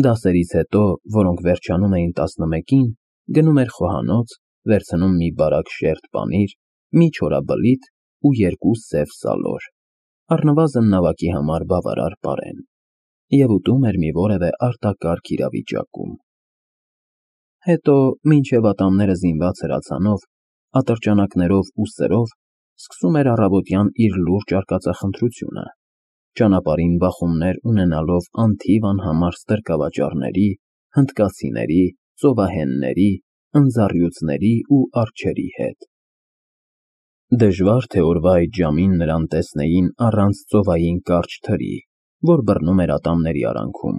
Դասերից հետո, որոնք վերջանում էին 11-ին, գնում էր խոհանոց, վերցնում մի բարակ շերտ պանիր, մի չորաբլիթ ու 2 սև սալոր, առնվազն նավակի համար բավարար պարեն, և ուտում էր մի որևէ արտակարգ իրավիճակում։ Հետո, մինչև ատամները զինված հրացանով, ատրճանակներով ու սրով, սկսում էր առավոտյան իր լուրջ արկածախնդրությունը, ճանապարհին բախումներ ունենալով անթիվ անհամար ստրկավաճառների, հնդկացիների, ծովահենների, ընձառյուծների ու արջերի հետ։ Դժվար թե օրվա այդ ժամին նրան տեսնեին առանց ծովային կարճ թրի, որ բռնում էր ատամների արանքում,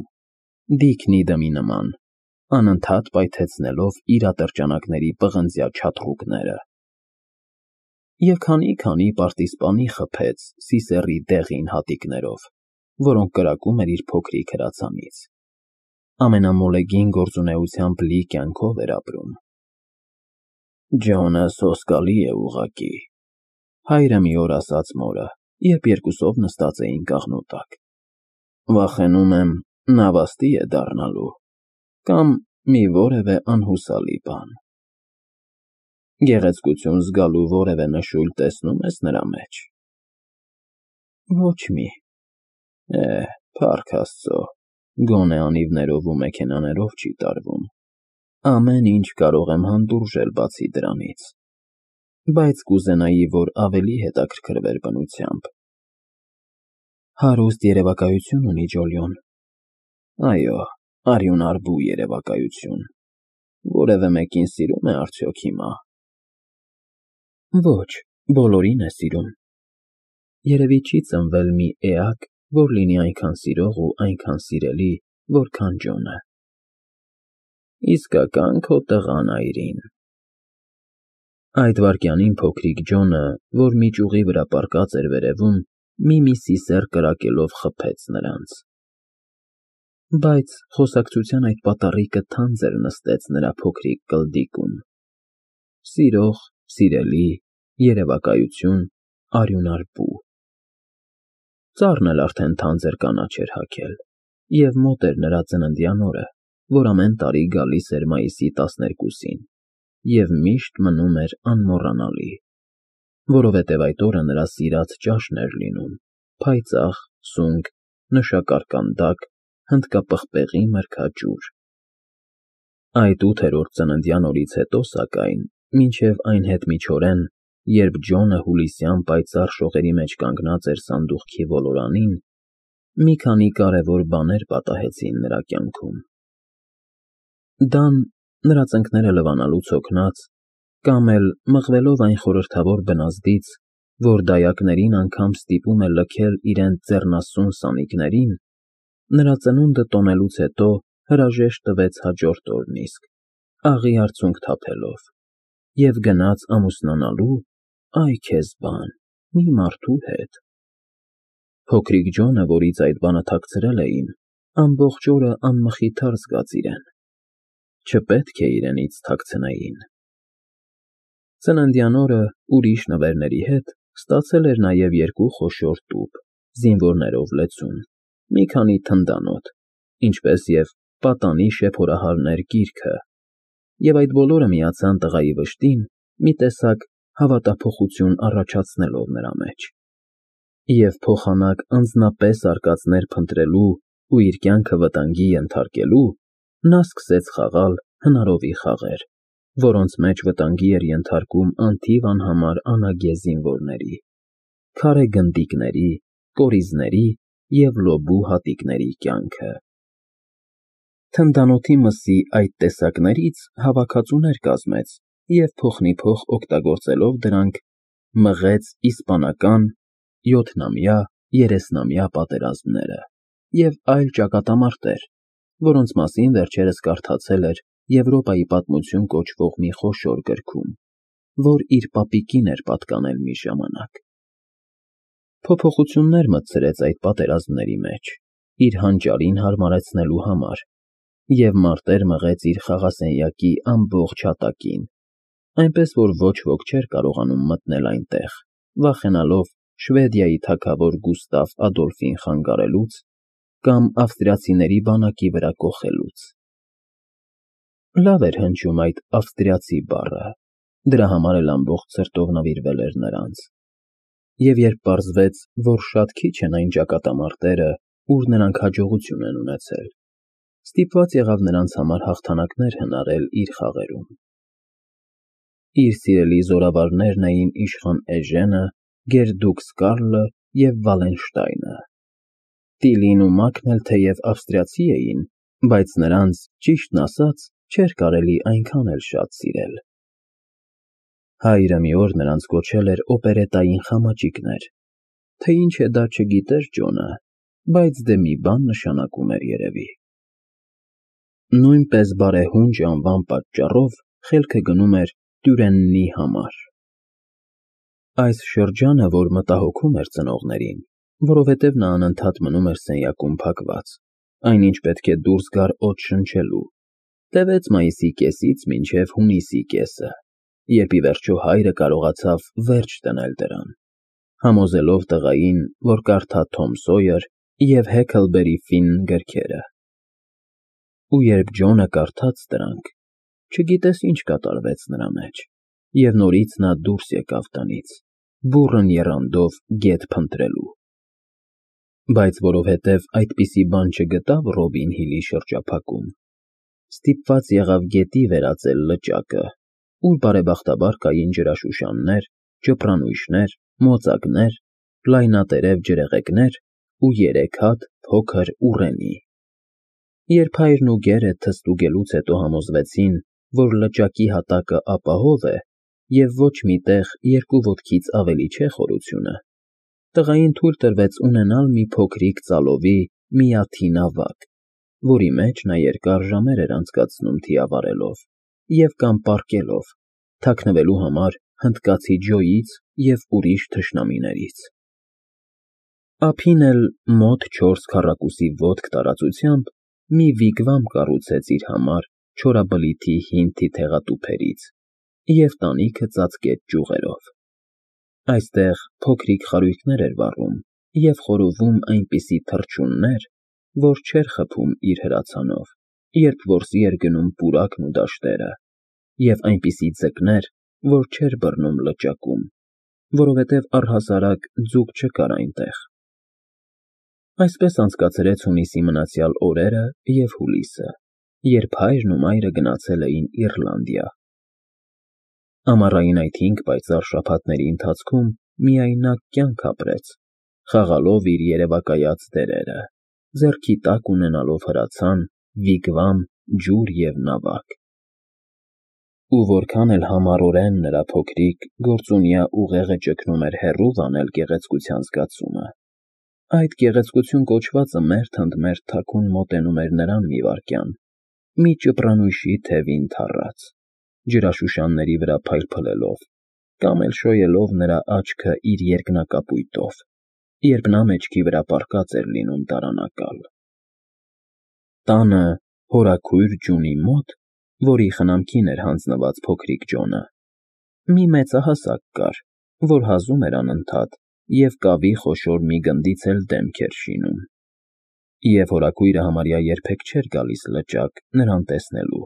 դիքնի դմի նման, անընդհատ պայթեցնելով իր ատրճանակների պղնձյա չաթռուկները։ Եվ քանի պարտիզպանի խփեց սիսեռի դեղին հատիկներով, որոնք կրակում էր իր փոքրիկ հրացանից։ Ամենամոլեգին գործունեությամբ լի կյանքով էր ապրում։ Ջոնը սոսկալի է ուղղակի, հայրը մի օր ասաց մորը, երբ երկուսով նստած էին կաղնու տակ։ Վախենում եմ, նավաստի է դառնալու, կամ մի որևէ անհուսալի բան։ Գեղեցկություն զգալու որևէ նշույլ տեսնո՞ւմ ես նրա մեջ։ Ոչ մի։ Փառք Աստծո, գոնե անիվներով ու մեքենաներով չի տարվում։ Ամեն ինչ կարող եմ հանդուրժել բացի դրանից, բայց կուզենայի, որ ավելի հետաքրքրվեր բնությամբ։ Հարուստ երևակայություն ունի Ջոլիոն։ Այո, արյունարբու երևակայություն։ Որևէ մեկին սիրում է արդյոք հիմա։ Ոչ, բոլորին է սիրում։ Երևի չի ծնվել մի էակ, որ լինի այնքան սիրող ու այնքան սիրելի, որքան Ջոնը։ Իսկական քո տղան, Այրին։ Այդ վայրկյանին փոքրիկ Ջոնը, որ մի ճյուղի վրա պառկած էր վերևում, մի սիսեռ կրակելով խփեց նրանց։ Բայց խոսակցության այդ պատառիկը թանձր նստեց նրա փոքրիկ կլդիկում։ Սիրող, սիրելի, երևակայություն, արյունարբու։ Ծառն էլ արդեն թանձր կանաչ էր հագել, և մոտ էր նրա ծննդյան օրը, որ ամեն տարի գալիս էր մայիսի 12-ին, և միշտ մնում էր անմոռանալի, որովհետև այդ օրը նրա սիրած ճաշն էր լինում, փայծաղ, սունկ, նշակարկանդակ, հնդկապղպեղի մրգաճուր։ Այդ 8-րդ ծննդյան օրից հետո, սակայն, մինչև այն հետմիջօրեն, երբ Ջոնը հուլիսյան պայծառ շողերի մեջ կանգնած էր սանդուղքի ոլորանին, մի քանի կարևոր բաներ պատահեցին նրա կյանքում։ Դան, նրա ծնկները լվանալուց հոգնած, կամ էլ մղվելով այն խորհրդավոր բնազդից, որ դայակներին անգամ ստիպում է լքել իրենց ձեռնասուն սանիկներին, նրա ծնունդը տոնելուց հետո հրաժեշտ տվեց հաջորդ օրն իսկ, աղի արցունք թափելով, և գնաց ամուսնանալու, այ քեզ բան, մի մարդու հետ։ Փոքրիկ Ջոնը, որից այդ բանը թաքցրել էին, ամբողջ օրը անմխիթար զգաց իրեն։ Չպետք է իրենից թաքցնեին։ Ծննդյան օրը, ուրիշ նվերների հետ, ստացել էր նաև 2 խոշոր տուփ, զինվորներով լեցուն, մի քանի թնդանոթ, ինչպես և պատանի շեփորահարներ գիրքը, և այդ բոլորը միացան տղայի վշտին, մի տեսակ հավատափոխություն առաջացնելով նրա մեջ, և փոխանակ անձնապես արկածներ փնտրելու ու իր կյանքը վտանգի ենթարկելու, նա սկսեց խաղալ հնարովի խաղեր, որոնց մեջ վտանգի էր ենթարկում անթիվ անհամար անագեզ զինվորների, քարե գնդիկների, կորիզների և լոբու հատիկների կյանքը։ Թնդանոթի մսի այդ տեսակներից հավաքածուներ կազմեց և փոխնիփոխ օգտագործելով դրանք մղեց իսպանական 7-նամյա, 30-նամյա պատերազմները և այլ ճակատամարտեր, որոնց մասին վերջերս կարդացել էր Եվրոպայի պատմություն կոչվող մի խոշոր գրքում, որ իր պապիկին էր պատկանել մի ժամանակ։ Փոփոխություններ մտցրեց այդ պատերազմների մեջ, իր հանճարին հարմարեցնելու համար, և մարտեր մղեց իր խաղասենյակի ամբողջ հատակին, այնպես որ ոչ ոք չէր կարողանում մտնել այնտեղ, վախենալով Շվեդիայի թագավոր Գուստավ Ադոլֆին խանգարելուց կամ ավստրիացիների բանակի վրա կոխելուց։ Լավ էր հնչում այդ ավստրիացի բառը, դրա համար էլ ամբողջ սրտով նվիրվել էր նրանց։ Եվ երբ պարզվեց, որ շատ քիչ են այն ճակատամարտերը, ուր նրանք հաջողություն են ունեցել, ստիպված եղավ նրանց համար հաղթանակներ հնարել իր խաղերում։ Իր սիրելի զորավարներն էին իշխան Էժենը, գերդուկս Կարլը և Վալենշտայնը։ Տիլին ու Մակն էլ թեև ավստրիացի էին, բայց նրանց, ճիշտն ասած, չէր կարելի այնքան էլ շատ սիրել։ Հայրը մի օր նրանց կոչել էր օպերետային խամաճիկներ, թե ինչ է դա չգիտեր Ջոնը, բայց դե մի բան նշանակում էր երևի։ Նույնպես բարեհունչ անվան պատճառով խելքը գնում էր Տյուրեննի համար։ Այս շրջանը, որ մտահոգում էր ծնողներին, որովհետև նա անընդհատ մնում էր սենյակում փակված, այնինչ պետք է դուրս գար օդ շնչելու, տևեց մայիսի կեսից մինչև հունիսի կեսը, երբ ի վերջո հայրը կարողացավ վերջ դնել դրան, համոզելով տղային, որ կարդա Թոմ Սոյեր և Հեքլբերի Ֆինն գրքերը։ Ու երբ Ջոնը կարդաց դրանք, չգիտես ինչ կատարվեց նրա մեջ, և նորից նա դուրս եկավ տնից, բուռն եռանդով գետ փնտրելու։ Բայց որովհետև այդպիսի բան չգտավ Ռոբին Հիլի շրջափակում, ստիպված եղավ գետի վերածել լճակը, ուր բարեբախտաբար կային ջրաշուշաններ, ճպրանույշներ, մոծակներ, լայնատերև ջրեղեգներ ու 3 հատ փոքր ուռենի։ Երբ հայրն ու գերը թստուգելուց հետո համոզվեցին, որ լճակի հատակը ապահով է և ոչ մի տեղ 2 ոտքից ավելի չէ խորությունը, տղային թույլ տրվեց ունենալ մի փոքրիկ ծալովի միաթին ավագ, որի մեջ նա երկար ժամեր էր անցկացնում թիավարելով և կամ պառկելով, թաքնվելու համար հնդկացի Ջոյից և ուրիշ թշնամիներից։ Ափին էլ մոտ 4 քառակուսի ոտք տարածությամբ մի վիգվամ կառուցեց իր համար չորաբլիթի հին թիթեղատուփերից և տանիքը ծածկեց ճյուղերով։ Այստեղ փոքրիկ խարույկներ էր վառում և խորովում այնպիսի թռչուններ, որ չէր խփում իր հրացանով, երբ որսի էր գնում պուրակն ու դաշտերը, և այնպիսի ձկներ, որ չէր բռնում լճակում, որովհետև առհասարակ ձուկ չկար այնտեղ։ Այսպես անցկացրեց հունիսի մնացյալ օրերը և հուլիսը, երբ հայրն ու մայրը գնացել էին Իռլանդիա։ Ամառային այդ 5 պայծառ շաբաթների ընթացքում միայնակ կյանք ապրեց, խաղալով իր երևակայած դերերը, ձեռքի տակ ունենալով հրացան, վիգվամ, ջուր և նավակ։ Ու որքան էլ համառորեն նրա փոքրիկ, գործունյա ուղեղը ճգնում էր հեռու վանել գեղեցկության զգացումը, այդ գեղեցկություն կոչվածը մերթ ընդ մերթ թաքուն մոտենում էր նրան մի վայրկյան, մի ճպրանույշի թևին թառած, ջրաշուշանների վրա փայլփլելով, կամ էլ շոյելով նրա աչքը իր երկնակապույտով, երբ նա մեջքի վրա պառկած էր լինում տարանակալ։ Տանը, հորաքույր ձյունի մոտ, որի խնամքին էր հանձնված փոքրիկ Ջոնը, մի մեծահասակ կար, որ հազում էր անընդհատ և կավի խոշոր մի գնդից էլ դեմք էր շինում, և հորաքույրը համարյա երբեք չէր գալիս լճակ նրան տեսնելու։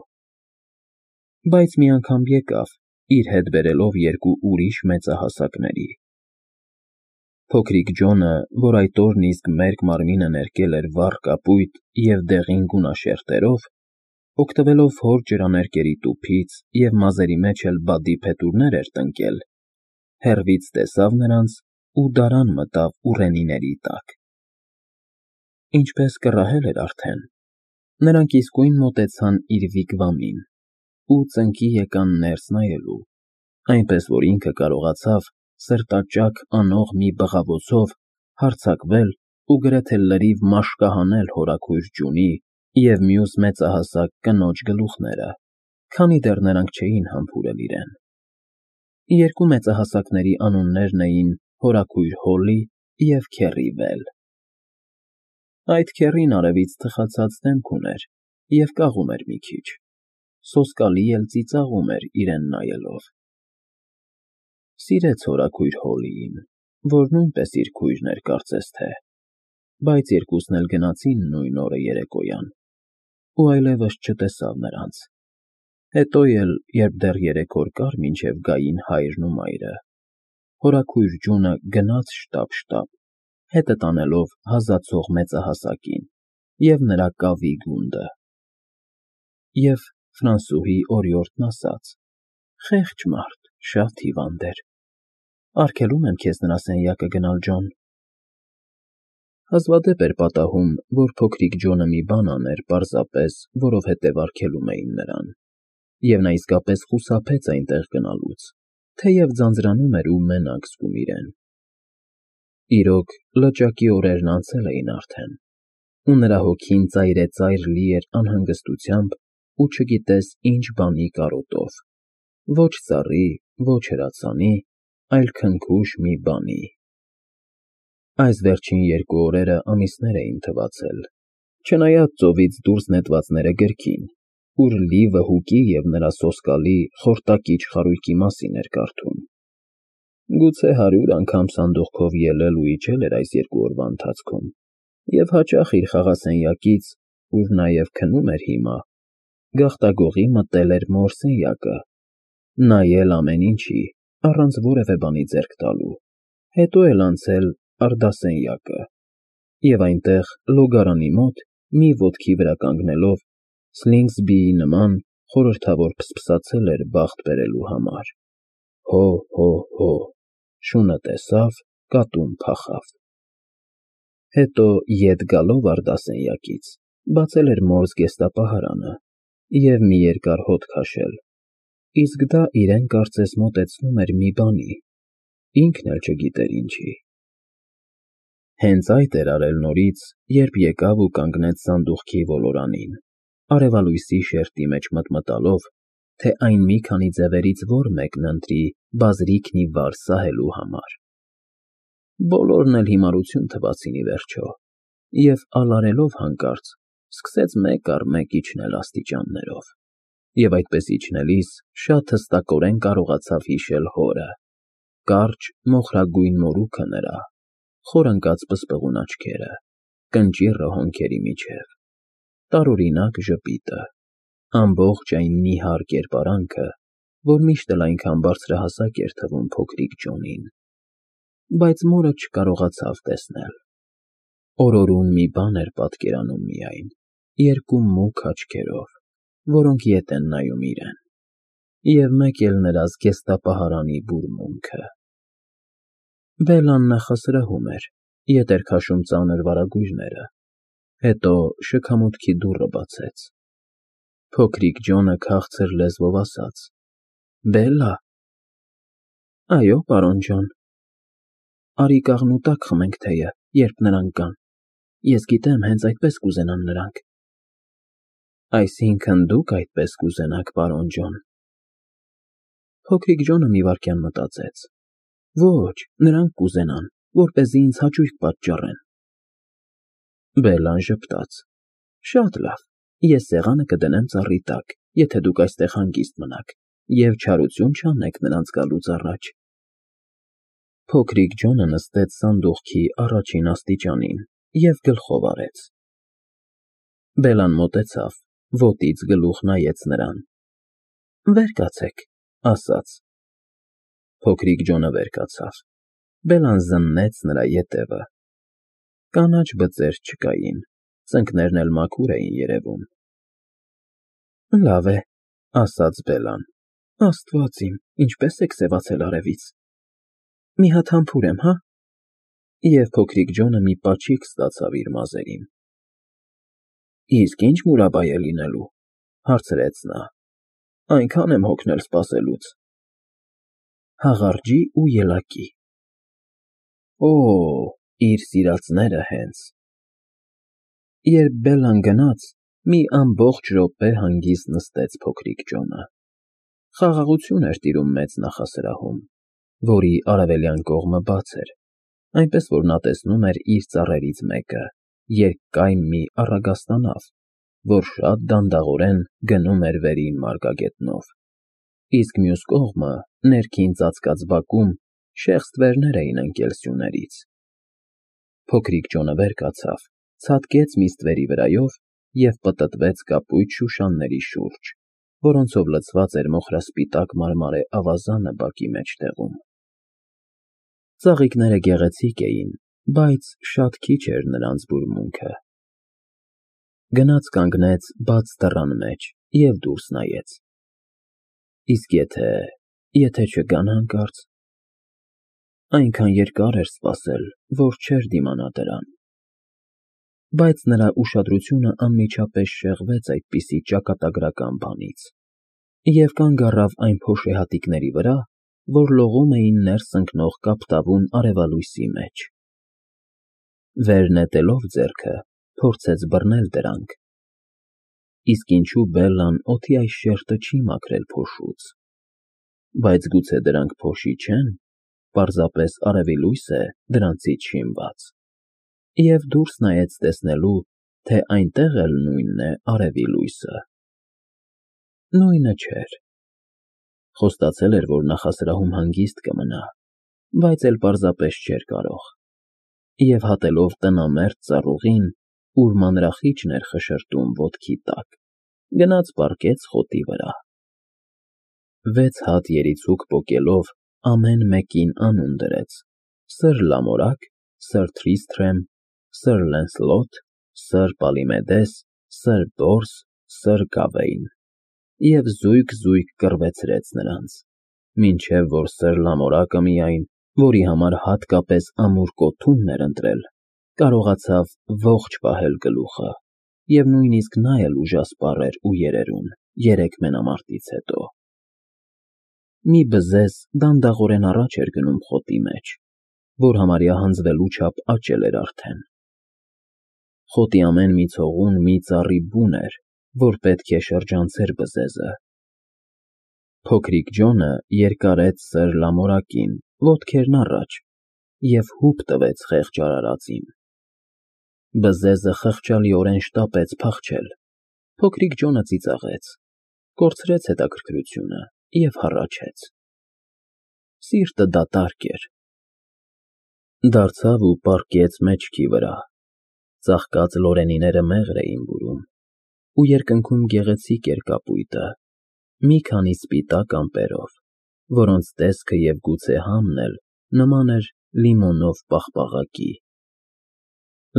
Բայց մի անգամ եկավ, իր հետ բերելով 2 ուրիշ մեծահասակների։ Փոքրիկ Ջոնը, որ այդ օրն իսկ մերկ մարմինը ներկել էր վառ կապույտ և դեղին գունաշերտերով, օգտվելով հոր ջրաներկերի տուփից և մազերի մեջ էլ բադի փետուրներ էր տնկել, հեռվից տեսավ նրանց ու դարան մտավ ուռենիների տակ։ Ինչպես կռահել էր արդեն, նրանք իսկույն մոտեցան իր վիգվամին ու ծնկի եկան ներս նայելու, այնպես որ ինքը կարողացավ սրտաճաք անող մի բղավոցով հարձակվել ու գրեթե լրիվ մաշկահանել հորաքույր Ջունի և մյուս մեծահասակ կնոջ գլուխները, քանի դեռ նրանք չէին համբուրել իրեն։ 2 մեծահասակների անուններն էին հորաքույր Հոլի և քեռի Վել։ Այդ քեռին արևից թխացած դեմք ուներ և կաղում էր մի քիչ, սոսկալի էլ ծիծաղում էր իրեն նայելով։ Սիրեց հորաքույր Հոլիին, որ նույնպես իր քույրն էր կարծես թե։ բայց երկուսն էլ գնացին նույն օրը երեկոյան, ու այլևս չտեսավ նրանց։ Հետո էլ, երբ դեռ 3 օր կար մինչև գային հայրն ու մայրը, հորաքույր ջունը գնաց շտապ, հետը տանելով հազացող մեծահասակին և նրա կավի գունդը։ Եվ Ֆրանսուհի օրիորդն ասաց. «Խեղճ մարդ, շատ հիվանդ էր։ Արգելում եմ քեզ նրա սենյակը գնալ, Ջոն»։ Հազվադեպ էր պատահում, որ փոքրիկ Ջոնը մի բան աներ պարզապես, որովհետև արգելում էին նրան, և նա իսկապես խուսափեց այնտեղ գնալուց, թեև ձանձրանում էր ու մենակ զգում իրեն։ Իրոք, լճակի օրերն անցել էին արդեն, ու նրա հոգին ծայրեծայր լի էր անհանգստությամբ ու չգիտես ինչ բանի կարոտով, ոչ ծառի, ոչ հրացանի, այլ քնքուշ մի բանի։ Այս վերջին 2 օրերը ամիսներ էին թվացել, չնայած ծովից դուրս նետվածները գրքին, ուր լի վհուկի և նրա սոսկալի, խորտակիչ խարույկի մասին էր կարդում։ Գուցե 100 անգամ սանդուղքով ելել ու իջել էր այս 2 օրվա ընթացքում, և հաճախ իր խաղասենյակից, ուր նաև քնում էր հիմա, գաղտագողի մտել էր մոր սենյակը, նայել ամեն ինչի, առանց որևէ բանի ձեռք տալու, հետո էլ անցել արդասենյակը, և այնտեղ, լոգարանի մոտ, մի ոտքի վրա կանգնելով, Սլինգսբիի նման խորհրդավոր փսփսացել էր բախտ բերելու համար. «Հո, հո, հո, շունը տեսավ, կատուն փախավ»։ Հետո, ետ գալով արդասենյակից, բացել էր մոր զգեստապահարանը և մի երկար հոտ քաշել, իսկ դա իրեն կարծես մոտեցնում էր մի բանի, ինքն էլ չգիտեր ինչի։ Հենց այդ էր արել նորից, երբ եկավ ու կանգնեց սանդուղքի ոլորանին, արևալույսի շերտի մեջ մտմտալով, թե այն մի քանի ձևերից որ մեկն ընտրի բազրիքն ի վար սահելու համար։ Բոլորն էլ հիմարություն թվացին ի վերջո, և ալարելով հանկարծ, սկսեց մեկ առ մեկ իջնել աստիճաններով, և այդպես իջնելիս շատ հստակորեն կարողացավ հիշել հորը, կարճ, մոխրագույն մորուքը նրա, խորընկած պսպղուն աչքերը, կնճիռը հոնքերի միջև, տարօրինակ ժպիտը, ամբողջ այն նիհար կերպարանքը, որ միշտ էլ այնքան բարձրահասակ էր թվում փոքրիկ Ջոնին, բայց մորը չկարողացավ տեսնել։ Օրորուն մի բան էր պատկերանում միայն, 2 մուգ աչքերով, որոնք ետ են նայում իրեն, և մեկ էլ նրա զգեստապահարանի բուրմունքը։ Բելլան նախասրահում էր, ետ էր քաշում ծանր վարագույրները, հետո շքամուտքի դուռը բացեց։ Փոքրիկ Ջոնը քաղցր լեզվով ասաց. «Բելլա»։ «Այո, պարոն Ջոն»։ «Արի կաղնու տակ խմենք թեյը, երբ նրանք կան, ես գիտեմ, հենց այդպես կուզենան նրանք»։ «Այսինքն դուք այդպես կուզենաք, պարոն Ջոն»։ Փոքրիկ Ջոնը մի վայրկյան մտածեց. «Ոչ, նրանք կուզենան, որպեսզի ինձ հաճույք պատճառեն»։ Բելլան ժպտաց. «Շատ լավ, ես սեղանը կդնեմ ծառի տակ, եթե դուք այստեղ հանգիստ մնաք, և չարություն չանեք նրանց գալուց առաջ»։ Փոքրիկ Ջոնը նստեց սանդուղքի առաջին աստիճանին և գլխով արեց։ Բելլան մոտեցավ, ոտից գլուխ նայեց նրան։ «Վեր կացեք», ասաց։ Փոքրիկ Ջոնը վեր կացավ։ Բելլան զննեց նրա ետևը։ Կանաչ բծեր չկային, ծնկներն էլ մաքուր էին երևում։ «Լավ է», ասաց Բելլան, «Աստված իմ, ինչպես եք սևացել արևից։ Մի հատ համբուրեմ, հա»։ Եվ փոքրիկ Ջոնը մի պաչիկ ստացավ իր մազերին։ «Իսկ ի՞նչ մուրաբա է լինելու», հարցրեց նա։ «Այնքան եմ հոգնել սպասելուց»։ «Հաղարջի ու ելակի»։ Օ, իր սիրածները հենց։ Երբ Բելլան գնաց, մի ամբողջ րոպե հանգիստ նստեց փոքրիկ Ջոնը։ Խաղաղություն էր տիրում մեծ նախասրահում, որի արևելյան կողմը բաց էր, այնպես որ նա տեսնում էր իր ծառերից մեկը, երկկայմ մի առագաստանավ, որ շատ դանդաղորեն գնում էր վերին մարգագետնով, իսկ մյուս կողմը, ներքին ծածկած բակում, շեղð ստվերներ էին ընկել սյուներից։ Փոքրիկ Ջոնը վեր կացավ, ցատկեց միստվերի վրայով և պտտվեց կապույտ շուշանների շուրջ, որոնցով լցված էր մոխրասպիտակ մարմարե ավազանը բակի մեջտեղում։ Ծաղիկները գեղեցիկ էին, բայց շատ քիչ էր նրանց բուրմունքը։ Գնաց կանգնեց բաց դռան մեջ և դուրս նայեց։ Իսկ եթե չգան հանկարծ… Այնքան երկար էր սպասել, որ չէր դիմանա դրան։ Բայց նրա ուշադրությունը անմիջապես շեղվեց այդպիսի ճակատագրական բանից և կանգ առավ այն փոշեհատիկների վրա, որ լողում էին ներս ընկնող կապտավուն արևալույսի մեջ։ Վեր նետելով ձեռքը, փորձեց բռնել դրանք։ Իսկ ինչու Բելլան օդի այս շերտը չի մաքրել փոշուց։ Բայց գուցե դրանք փոշի չեն, պարզապես արևի լույս է դրանցից շինված։ Եվ դուրս նայեց տեսնելու, թե այնտեղ էլ նույնն է արևի լույսը։ Նույնը չէր։ Խոստացել էր, որ նախասրահում հանգիստ կմնա, բայց էլ պարզապես չէր կարող։ Եվ հատելով տնամերձ ծառուղին, ուր մանրախիճն էր խշշրտում ոտքի տակ, գնաց պառկեց խոտի վրա։ 6 հատ երիցուկ պոկելով ամեն մեկին անուն դրեց. Սըր Լամորակ, Սըր Թրիսթրեմ, Սըր Լենսլոտ, Սըր Պալիմեդես, Սըր Բորս, Սըր Գավեյն, և զույգ կռվեցրեց նրանց, մինչև որ Սըր Լամորակը միայն, որի համար հատկապես ամուր կոթունն էր ընտրել, կարողացավ ողջ պահել գլուխը, և նույնիսկ նա էլ ուժասպառ էր ու երերուն 3 մենամարտից հետո։ Մի բզեզ դանդաղորեն առաջ էր գնում խոտի մեջ, որ համարյա հանձվելու չափ աճել էր արդեն։ Խոտի ամեն մի ցողուն մի ծառի բուն էր, որ պետք է շրջանցեր բզեզը։ Փոքրիկ Ջոնը երկարեց Սըր Լամորակին, ոտքերն առաջ, և հուպ տվեց խեղճ արարածին։ Բզեզը խղճալիորեն շտապեց փախչել։ Փոքրիկ Ջոնը ծիծաղեց, կորցրեց հետաքրքրությունը և հառաչեց։ Սիրտը դատարկ էր։ Դարձավ ու պառկեց մեջքի վրա։ Ծաղկած լորենիները մեղր էին բուրում, ու երկնքում գեղեցիկ էր կապույտը, մի քանի սպիտակ ամպերով, որոնց տեսքը և գուցե համն էլ նման էր լիմոնով պաղպաղակի։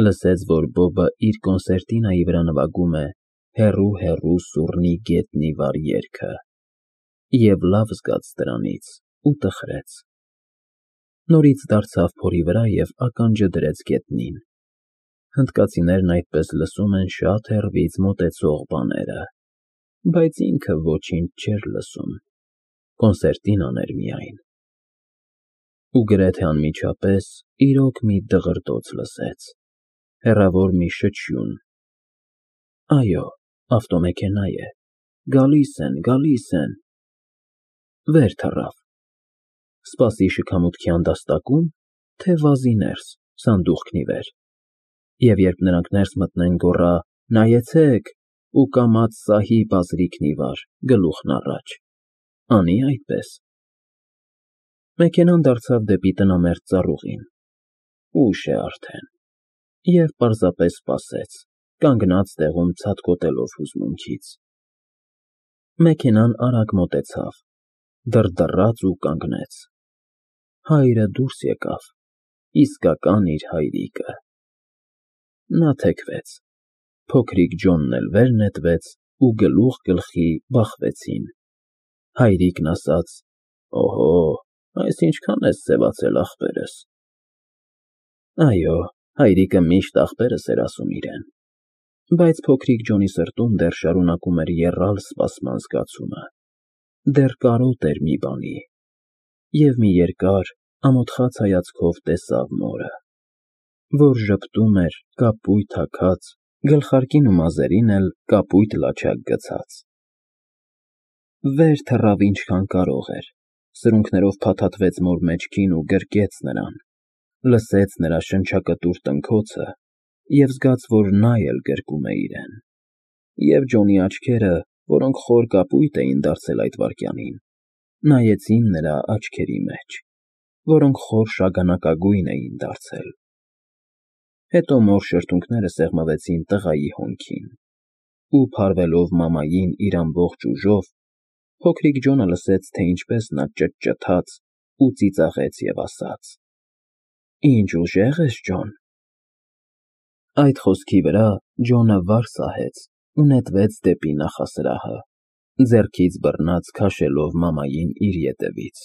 Լսեց, որ Բոբը իր կոնսերտինայի վրա նվագում է «Հեռու սուռնի գետնի վար» երգը, և լավ զգաց դրանից ու տխրեց։ Նորից դարձավ փորի վրա և ականջը դրեց գետնին։ Հնդկացիներն այդպես լսում են շատ հեռվից մոտեցող բաները, բայց ինքը ոչինչ չէր լսում, կոնսերտինան էր միայն։ Ու գրեթե անմիջապես իրոք մի դղրդոց լսեց, հեռավոր մի շչյուն. Այո, ավտոմեքենա է, գալիս են։ Վեր թռավ։ Սպասի շքամուտքի հանդաստակո՞ւմ, թե վազի ներս, սանդուղքն ի վեր։ Եվ երբ նրանք ներս մտնեն, գոռա. «Նայեցեք», ու կամաց սահի բազրիքն ի վար, գլուխն առաջ։ Անի՞ այդպես։ Մեքենան դարձավ դեպի տնամերձ ծառուղին։ Ուշ է արդեն։ Եվ պարզապես սպասեց, կանգնած տեղում ցատկոտելով հուզմունքից։ Մեքենան արագ մոտեցավ, դռդռաց ու կանգնեց։ Հայրը դուրս եկավ, իսկական իր հայրիկը։ Նա թեքվեց, փոքրիկ Ջոնն էլ վեր նետվեց ու գլուխ գլխի բախվեցին։ Հայրիկն ասաց. «Օհո, այս ինչքան ես սևացել, ախպերս»։ Այո, հայրիկը միշտ ախպերս էր ասում իրեն։ Բայց փոքրիկ Ջոնի սրտում դեռ շարունակում էր եռալ սպասման զգացումը։ Դեռ կարոտ էր մի բանի։ Եվ մի երկար, ամոթխած հայացքով տեսավ մորը, որ ժպտում էր կապույտ հագած, գլխարկին ու մազերին էլ կապույտ լաչակ գցած։ Վեր թռավ ինչքան կարող էր, սրունքներով փաթաթվեց մոր մեջքին ու գրկեց նրան, լսեց նրա շնչակտուր տնքոցը և զգաց, որ նա էլ գրկում է իրեն։ Եվ Ջոնի աչքերը, որոնք խոր կապույտ էին դարձել այդ վայրկյանին, նայեցին նրա աչքերի մեջ, որոնք խոր շագանակագույն էին դարձել։ Հետո մոր շրթունքները սեղմվեցին տղայի հոնքին, ու փարվելով մամային իր ամբողջ ուժով, փոքրիկ Ջոնը լսեց, թե ինչպես նա ճտճթաց ու ծիծաղեց և ասաց. «Ինչ ուժեղ ես, Ջոն»։ Այդ խոսքի վրա Ջոնը վար սահեց ու նետվեց դեպի նախասրահը, ձեռքից բռնած քաշելով մամային իր ետևից։